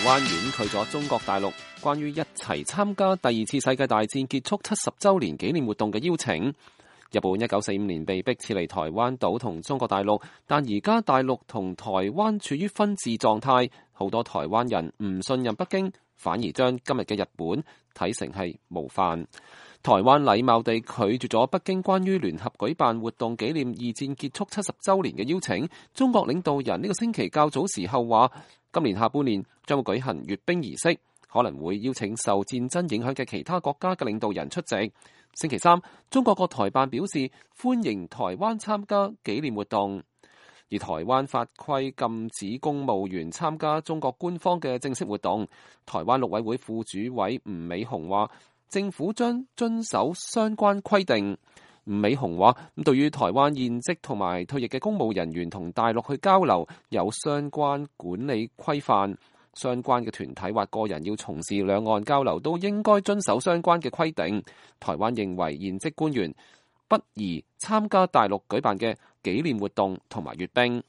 灣婉拒咗中國大陸關於一齊參加第二次世界大戰結束70週年紀念活動嘅邀請。日本1945年被迫撤離台灣島同中國大陸，但而家大陸同台灣處於分治狀態，好多台灣人唔信任北京，反而將今日嘅日本睇成係模範。台灣禮貌地拒絕咗北京關於聯合舉辦活動紀念二戰結束70週年嘅邀請。中國領導人呢個星期較早時候話，今年下半年將會舉行閱兵儀式，可能會邀請受戰爭影響嘅其他國家嘅領導人出席。星期三，中國國台辦表示歡迎台灣參加紀念活動，而台灣法規禁止公務員參加中國官方嘅正式活動。台灣陸委會副主委吳美雄話，政府將遵守相關規定。吳美雄話，對於台灣現職同埋退役嘅公務人員同大陸去交流有相關管理規範，相關嘅團體或個人要從事兩岸交流都應該遵守相關嘅規定。台灣認為現職官員不宜參加大陸舉辦嘅紀念活動同埋閱兵。